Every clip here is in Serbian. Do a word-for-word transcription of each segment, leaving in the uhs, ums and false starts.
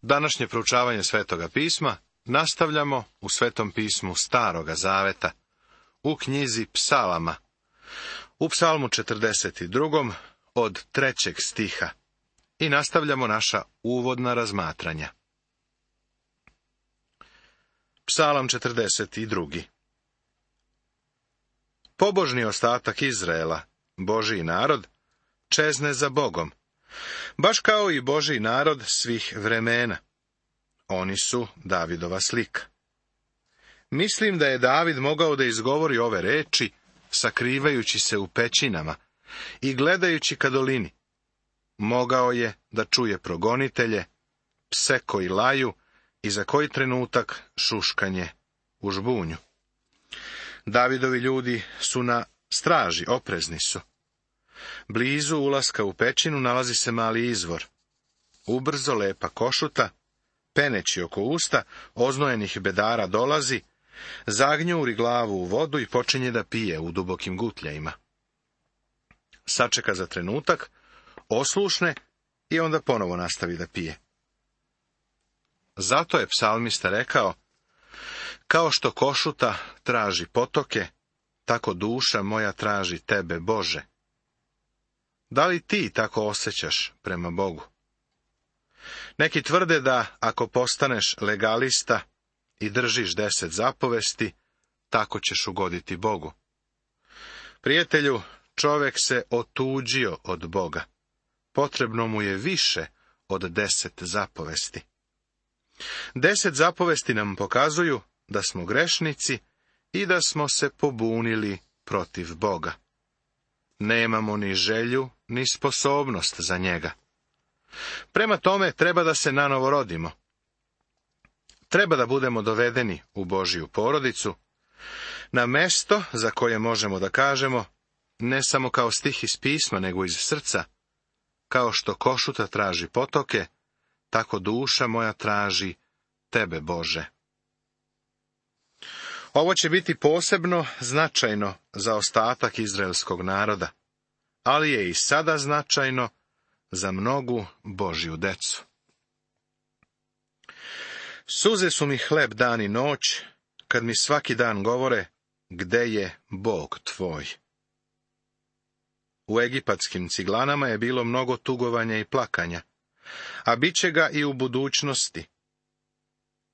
Današnje proučavanje Svetoga pisma nastavljamo u Svetom pismu Staroga zaveta, u knjizi Psalama, u Psalmu četrdeset drugom od trećeg stiha, i nastavljamo naša uvodna razmatranja. Psalam četrdeset drugi. Pobožni ostatak Izraela, Božji narod, čezne za Bogom, baš kao i Božji narod svih vremena. Oni su Davidova slika. Mislim da je David mogao da izgovori ove reči, sakrivajući se u pećinama i gledajući ka dolini. Mogao je da čuje progonitelje, pse koji laju i za koji trenutak šuškanje u žbunju. Davidovi ljudi su na straži, oprezni su. Blizu ulaska u pećinu nalazi se mali izvor. Ubrzo lepa košuta, peneći oko usta, oznojenih bedara dolazi, zagnjuri glavu u vodu i počinje da pije u dubokim gutljajima. Sačeka za trenutak, oslušne i onda ponovo nastavi da pije. Zato je psalmista rekao: kao što košuta traži potoke, tako duša moja traži tebe, Bože. Da li ti tako osjećaš prema Bogu? Neki tvrde da ako postaneš legalista i držiš deset zapovesti, tako ćeš ugoditi Bogu. Prijatelju, čovjek se otuđio od Boga. Potrebno mu je više od deset zapovesti. Deset zapovesti nam pokazuju da smo grešnici i da smo se pobunili protiv Boga. Nemamo ni želju, ni sposobnost za njega. Prema tome treba da se nanovo rodimo. Treba da budemo dovedeni u Božju porodicu, na mesto za koje možemo da kažemo, ne samo kao stih iz pisma, nego iz srca: kao što košuta traži potoke, tako duša moja traži tebe, Bože. Ovo će biti posebno značajno za ostatak izraelskog naroda, ali je i sada značajno za mnogu Božju decu. Suze su mi hleb dan i noć, kad mi svaki dan govore: gde je Bog tvoj? U egipatskim ciglanama je bilo mnogo tugovanja i plakanja, a bit će ga i u budućnosti.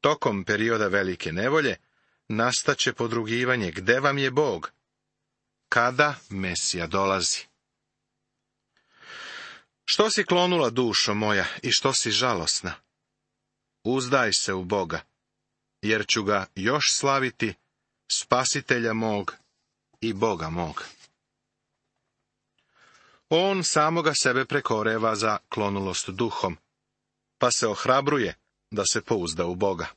Tokom perioda velike nevolje nastaće podrugivanje: gde vam je Bog? Kada Mesija dolazi? Što si klonula, dušo moja, i što si žalosna? Uzdaj se u Boga, jer ću ga još slaviti, Spasitelja mog i Boga mog. On samoga sebe prekoreva za klonulost duhom, pa se ohrabruje da se pouzda u Boga.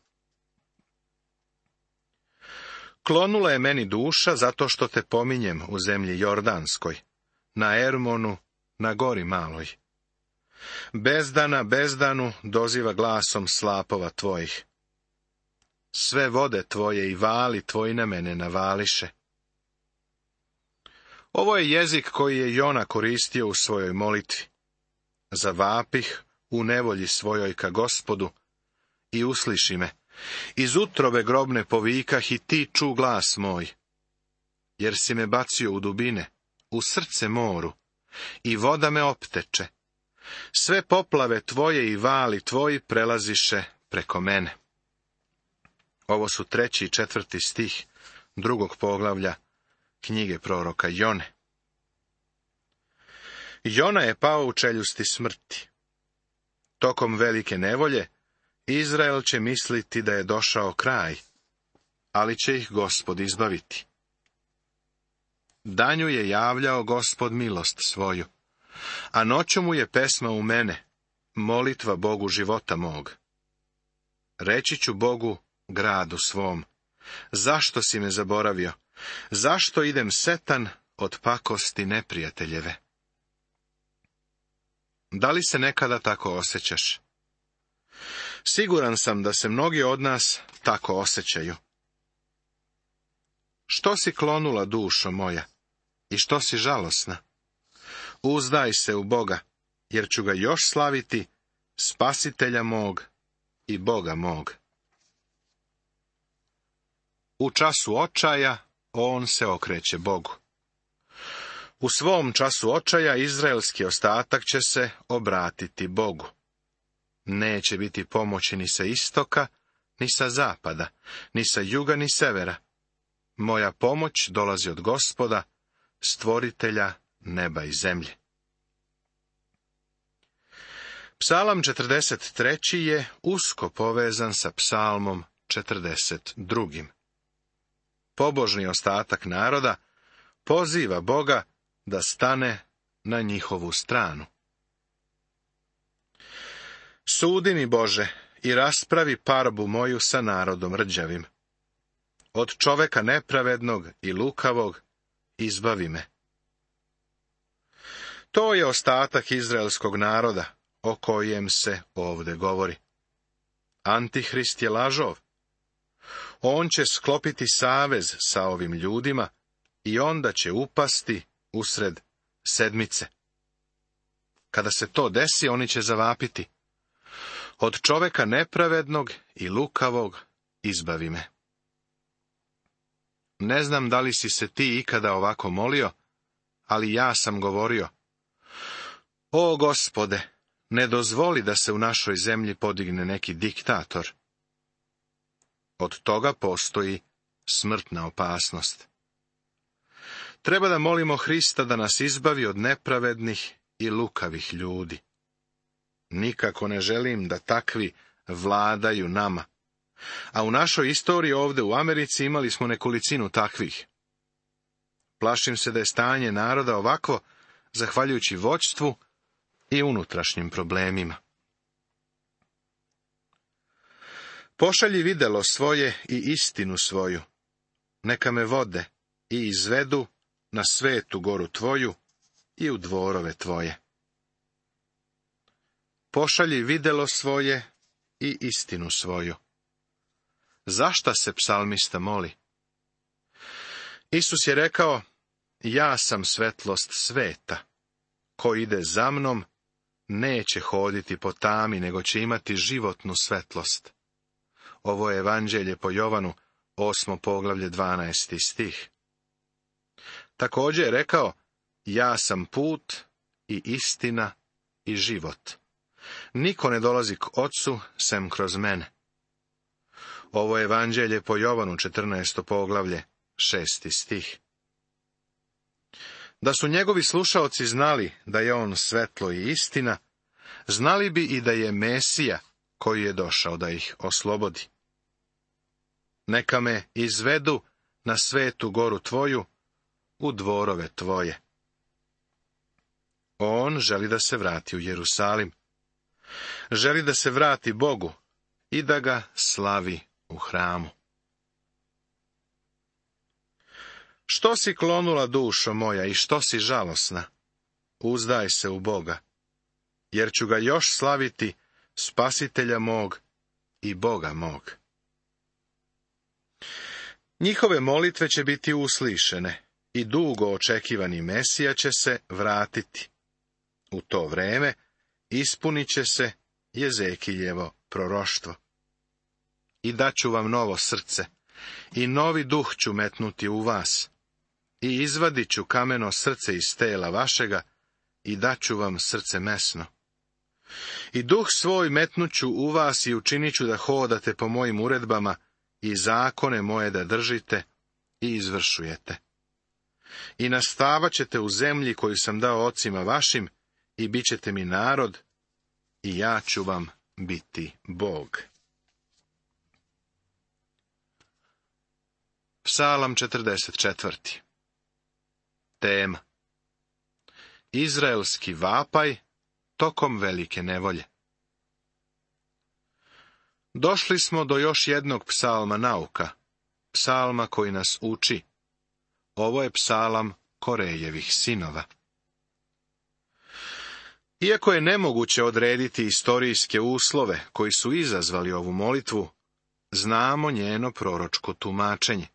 Klonula je meni duša zato što te pominjem u zemlji Jordanskoj, na Ermonu, na gori maloj. Bezdana bezdanu doziva glasom slapova tvojih. Sve vode tvoje i vali tvoji na mene navališe. Ovo je jezik koji je Jona koristio u svojoj molitvi. Zavapih u nevolji svojoj ka Gospodu i usliši me. Iz utrobe grobne povikah i ti ču glas moj. Jer si me bacio u dubine, u srce moru, i voda me opteče. Sve poplave tvoje i vali tvoji prelaziše preko mene. Ovo su treći i četvrti stih drugog poglavlja knjige proroka Jone. Jona je pao u čeljusti smrti. Tokom velike nevolje Izrael će misliti da je došao kraj, ali će ih Gospod izbaviti. Danju je javljao Gospod milost svoju, a noću mu je pesma u mene, molitva Bogu života mog. Reći ću Bogu, gradu svom: zašto si me zaboravio? Zašto idem setan od pakosti neprijateljeve? Da li se nekada tako osjećaš? Siguran sam da se mnogi od nas tako osjećaju. Što si klonula, dušo moja, i što si žalosna? Uzdaj se u Boga, jer ću ga još slaviti, Spasitelja mog i Boga mog. U času očaja on se okreće Bogu. U svom času očaja izraelski ostatak će se obratiti Bogu. Neće biti pomoći ni sa istoka, ni sa zapada, ni sa juga, ni severa. Moja pomoć dolazi od Gospoda, stvoritelja neba i zemlje. Psalam četrdeset treći je usko povezan sa psalmom četrdeset drugim. Pobožni ostatak naroda poziva Boga da stane na njihovu stranu. Sudi mi, Bože, i raspravi parbu moju sa narodom rđavim. Od čoveka nepravednog i lukavog izbavi me. To je ostatak izraelskog naroda, o kojem se ovde govori. Antihrist je lažov. On će sklopiti savez sa ovim ljudima i onda će upasti usred sedmice. Kada se to desi, oni će zavapiti. Od čoveka nepravednog i lukavog izbavi me. Ne znam da li si se ti ikada ovako molio, ali ja sam govorio: O Gospode, ne dozvoli da se u našoj zemlji podigne neki diktator. Od toga postoji smrtna opasnost. Treba da molimo Hrista da nas izbavi od nepravednih i lukavih ljudi. Nikako ne želim da takvi vladaju nama. A u našoj istoriji ovde u Americi imali smo nekolicinu takvih. Plašim se da je stanje naroda ovako, zahvaljujući vođstvu i unutrašnjim problemima. Pošalji videlo svoje i istinu svoju. Neka me vode i izvedu na svetu goru tvoju i u dvorove tvoje. Pošalji videlo svoje i istinu svoju. Zašta se psalmista moli? Isus je rekao: Ja sam svetlost sveta. Ko ide za mnom, neće hoditi po tami, nego će imati životnu svetlost. Ovo je evanđelje po Jovanu, osmo poglavlje, dvanaesti stih. Također je rekao: Ja sam put i istina i život. Niko ne dolazi k Ocu sem kroz mene. Ovo je evanđelje po Jovanu, četrnaesto poglavlje, šesti stih. Da su njegovi slušaoci znali da je on svetlo i istina, znali bi i da je Mesija koji je došao da ih oslobodi. Neka me izvedu na svetu goru tvoju, u dvorove tvoje. On želi da se vrati u Jerusalim. Želi da se vrati Bogu i da ga slavi u hramu. Što si klonula, dušo moja, i što si žalosna? Uzdaj se u Boga, jer ću ga još slaviti, Spasitelja mog i Boga mog. Njihove molitve će biti uslišene i dugo očekivani Mesija će se vratiti. U to vreme ispunit će se Jezekiljevo proroštvo. I daću vam novo srce, i novi duh ću metnuti u vas, i izvadit ću kameno srce iz tela vašega, i daću vam srce mesno. I duh svoj metnuću u vas i učinit ću da hodate po mojim uredbama i zakone moje da držite i izvršujete. I nastavat ćete u zemlji koju sam dao ocima vašim i bit ćete mi narod i ja ću vam biti Bog. Psalam četrdeset četvrti. Tema: Izraelski vapaj tokom velike nevolje. Došli smo do još jednog psalma nauka, psalma koji nas uči. Ovo je psalam Korejevih sinova. Iako je nemoguće odrediti istorijske uslove koji su izazvali ovu molitvu, znamo njeno proročko tumačenje.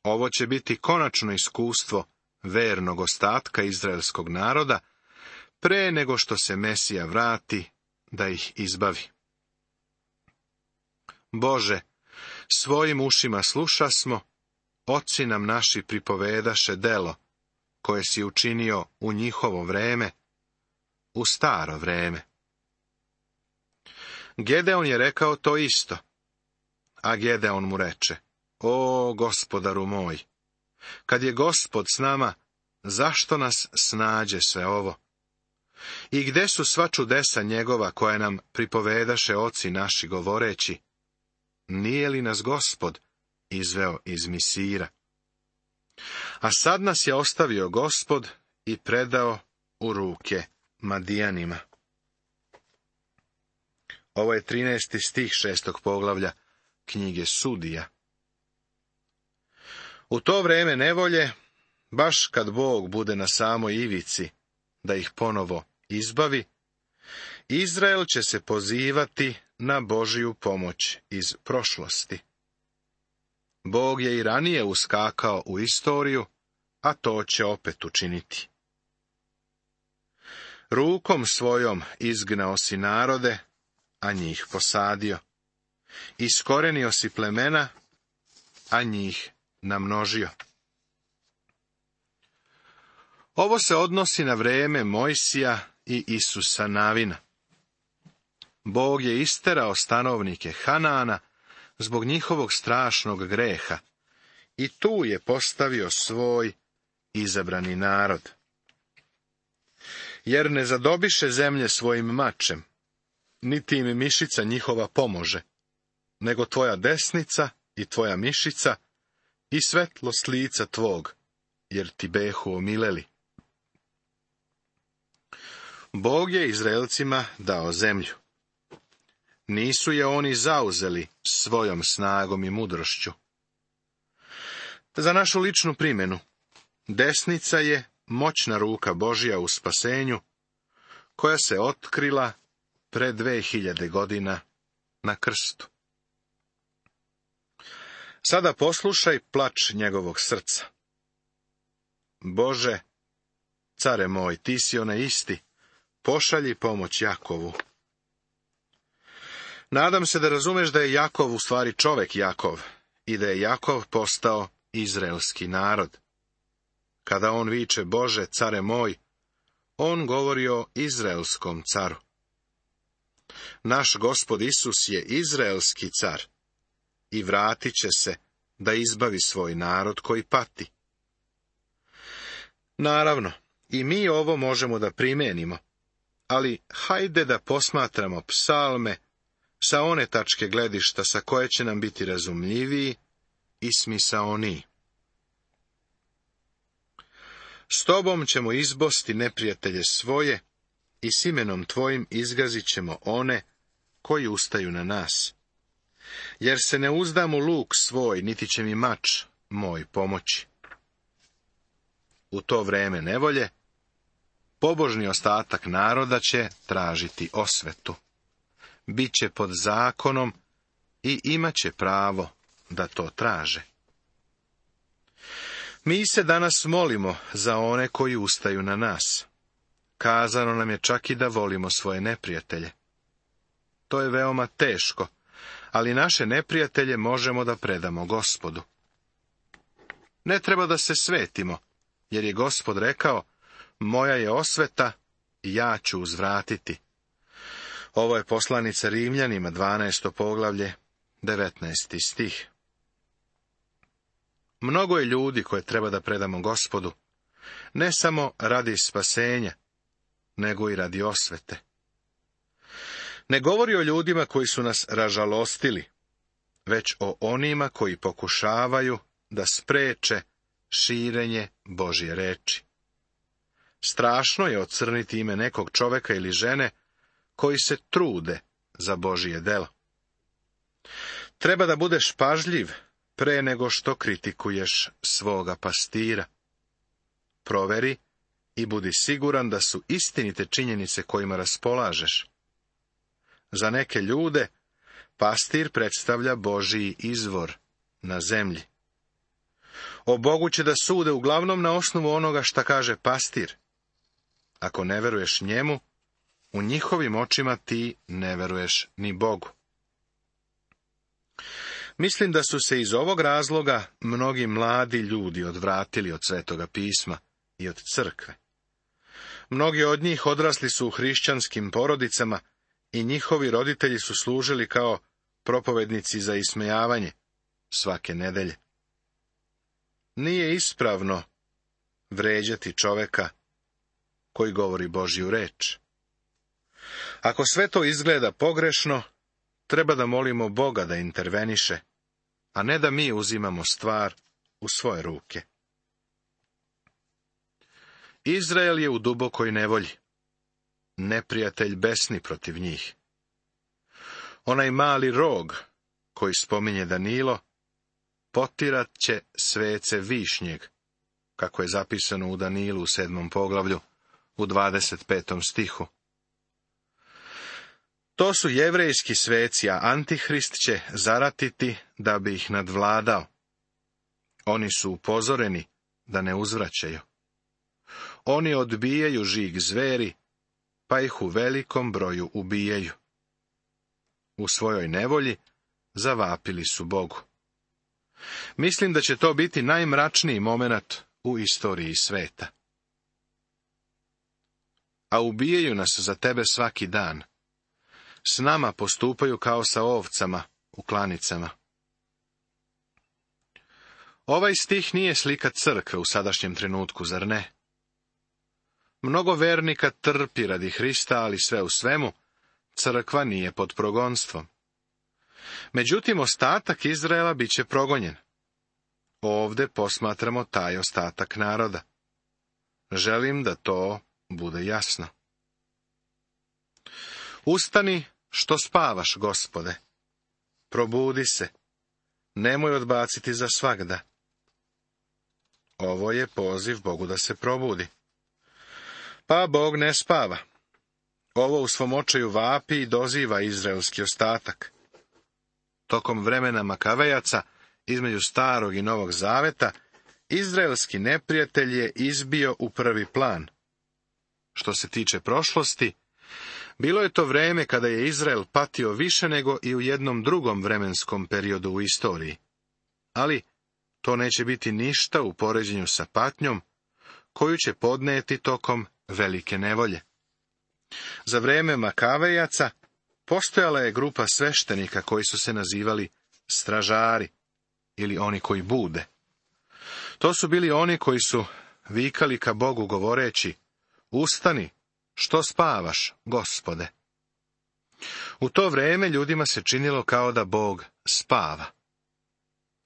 Ovo će biti konačno iskustvo vernog ostatka izraelskog naroda, pre nego što se Mesija vrati da ih izbavi. Bože, svojim ušima slušasmo, oci nam naši pripovedaše delo, koje si učinio u njihovo vreme, u staro vreme. Gedeon je rekao to isto, a Gedeon mu reče, o gospodaru moj, kad je Gospod s nama, zašto nas snađe sve ovo? I gde su sva čudesa njegova koja nam pripovedaše oci naši govoreći, nije li nas Gospod izveo iz Misira? A sad nas je ostavio Gospod i predao u ruke Madijanima. Ovo je trinaesti stih šestog poglavlja knjige Sudija. U to vreme nevolje, baš kad Bog bude na samoj ivici da ih ponovo izbavi, Izrael će se pozivati na Božju pomoć iz prošlosti. Bog je i ranije uskakao u istoriju, a to će opet učiniti. Rukom svojom izgnao si narode, a njih posadio. Iskorenio si plemena, a njih namnožio. Ovo se odnosi na vreme Mojsija i Isusa Navina. Bog je isterao stanovnike Hanaana zbog njihovog strašnog greha i tu je postavio svoj izabrani narod. Jer ne zadobiše zemlje svojim mačem, niti im mišica njihova pomože, nego tvoja desnica i tvoja mišica i svetlost lica tvog, jer ti behu omileli. Bog je Izraelcima dao zemlju. Nisu je oni zauzeli svojom snagom i mudrošću. Za našu ličnu primjenu, desnica je moćna ruka Božja u spasenju, koja se otkrila pre dve hiljade godina na krstu. Sada poslušaj plač njegovog srca. Bože, care moj, ti si onaj isti, pošalji pomoć Jakovu. Nadam se da razumeš da je Jakov u stvari čovek Jakov i da je Jakov postao izraelski narod. Kada on viče Bože, care moj, on govori o izraelskom caru. Naš Gospod Isus je izraelski car i vratit će se da izbavi svoj narod koji pati. Naravno, i mi ovo možemo da primenimo, ali hajde da posmatramo psalme sa one tačke gledišta sa koje će nam biti razumljiviji i smisaoniji. S tobom ćemo izbosti neprijatelje svoje i s imenom tvojim izgazit ćemo one koji ustaju na nas. Jer se ne uzdam u luk svoj, niti će mi mač moj pomoći. U to vreme nevolje, pobožni ostatak naroda će tražiti osvetu. Biće pod zakonom i imat će pravo da to traže. Mi se danas molimo za one koji ustaju na nas. Kazano nam je čak i da volimo svoje neprijatelje. To je veoma teško, ali naše neprijatelje možemo da predamo Gospodu. Ne treba da se svetimo, jer je Gospod rekao, moja je osveta i ja ću uzvratiti. Ovo je poslanica Rimljanima, dvanaesto poglavlje, devetnaesti stih. Mnogo je ljudi koje treba da predamo Gospodu, ne samo radi spasenja, nego i radi osvete. Ne govori o ljudima koji su nas ražalostili, već o onima koji pokušavaju da spreče širenje Božje reči. Strašno je ocrniti ime nekog čoveka ili žene koji se trude za Božje delo. Treba da budeš pažljiv pre nego što kritikuješ svoga pastira. Proveri i budi siguran da su istinite činjenice kojima raspolažeš. Za neke ljude pastir predstavlja Božji izvor na zemlji. O Bogu će da sude uglavnom na osnovu onoga šta kaže pastir. Ako ne veruješ njemu, u njihovim očima ti ne veruješ ni Bogu. Mislim da su se iz ovog razloga mnogi mladi ljudi odvratili od Svetoga pisma i od crkve. Mnogi od njih odrasli su u hrišćanskim porodicama i njihovi roditelji su služili kao propovednici za ismejavanje svake nedelje. Nije ispravno vređati čoveka koji govori Božju reč. Ako sve to izgleda pogrešno, treba da molimo Boga da interveniše, a ne da mi uzimamo stvar u svoje ruke. Izrael je u dubokoj nevolji. Neprijatelj besni protiv njih. Onaj mali rog, koji spominje Danilo, potirat će svece višnjeg, kako je zapisano u Danilu u sedmom poglavlju, u dvadeset petom stihu. To su jevrejski sveci, a Antihrist će zaratiti da bi ih nadvladao. Oni su upozoreni da ne uzvraćaju. Oni odbijaju žig zveri, pa ih u velikom broju ubijaju. U svojoj nevolji zavapili su Bogu. Mislim da će to biti najmračniji momenat u istoriji sveta. A ubijaju nas za tebe svaki dan. S nama postupaju kao sa ovcama u klanicama. Ovaj stih nije slika crkve u sadašnjem trenutku, zar ne? Mnogo vernika trpi radi Hrista, ali sve u svemu, crkva nije pod progonstvom. Međutim, ostatak Izraela bit će progonjen. Ovde posmatramo taj ostatak naroda. Želim da to bude jasno. Ustani, što spavaš, Gospode. Probudi se. Nemoj odbaciti za svagda. Ovo je poziv Bogu da se probudi. Pa Bog ne spava. Ovo u svom očaju vapi i doziva izraelski ostatak. Tokom vremena Makavejaca, između starog i novog zaveta, izraelski neprijatelj je izbio u prvi plan. Što se tiče prošlosti, bilo je to vreme kada je Izrael patio više nego i u jednom drugom vremenskom periodu u istoriji. Ali to neće biti ništa u poređenju sa patnjom koju će podneti tokom velike nevolje. Za vreme Makavejaca postojala je grupa sveštenika koji su se nazivali stražari ili oni koji bude. To su bili oni koji su vikali ka Bogu govoreći: Ustani, što spavaš, Gospode? U to vreme ljudima se činilo kao da Bog spava.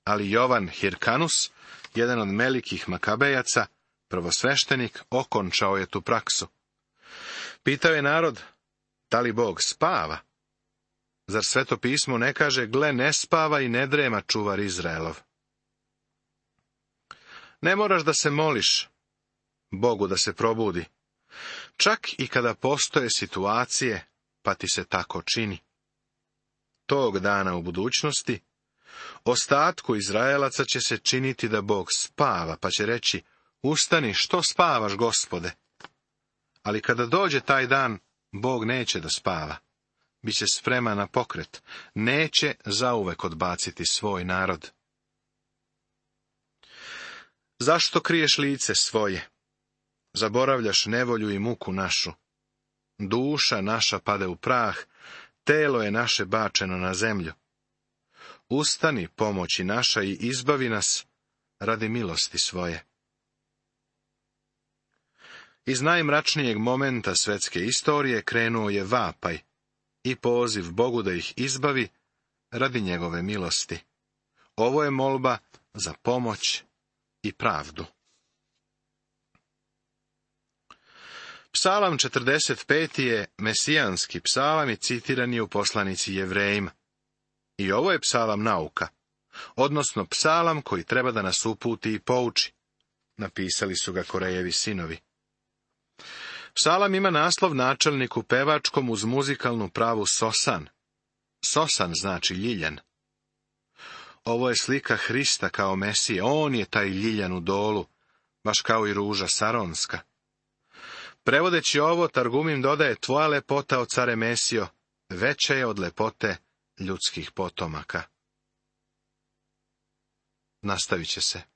Ali Jovan Hirkanus, jedan od velikih Makabejaca, prvosveštenik, okončao je tu praksu. Pitao je narod, da li Bog spava? Zar Sveto pismo ne kaže, gle, ne spava i ne drema čuvar Izraelov? Ne moraš da se moliš Bogu da se probudi, čak i kada postoje situacije, pa ti se tako čini. Tog dana u budućnosti, ostatku Izraelaca će se činiti da Bog spava, pa će reći, ustani, što spavaš, Gospode? Ali kada dođe taj dan, Bog neće da spava. Biće spreman na pokret. Neće zauvek odbaciti svoj narod. Zašto kriješ lice svoje? Zaboravljaš nevolju i muku našu. Duša naša pade u prah, telo je naše bačeno na zemlju. Ustani, pomoći naša, i izbavi nas radi milosti svoje. Iz najmračnijeg momenta svetske istorije krenuo je vapaj i poziv Bogu da ih izbavi radi njegove milosti. Ovo je molba za pomoć i pravdu. Psalam četrdeset peti je mesijanski psalam i citiran je u poslanici Jevrejima. I ovo je psalam nauka, odnosno psalam koji treba da nas uputi i pouči. Napisali su ga Korejevi sinovi. Psalam ima naslov načelnik u pevačkom uz muzikalnu pravu sosan. Sosan znači ljiljan. Ovo je slika Hrista kao Mesije. On je taj ljiljan u dolu, baš kao i ruža saronska. Prevodeći ovo, Targumim dodaje, tvoja lepota, o care Mesijo, veća je od lepote ljudskih potomaka. nastavit će se.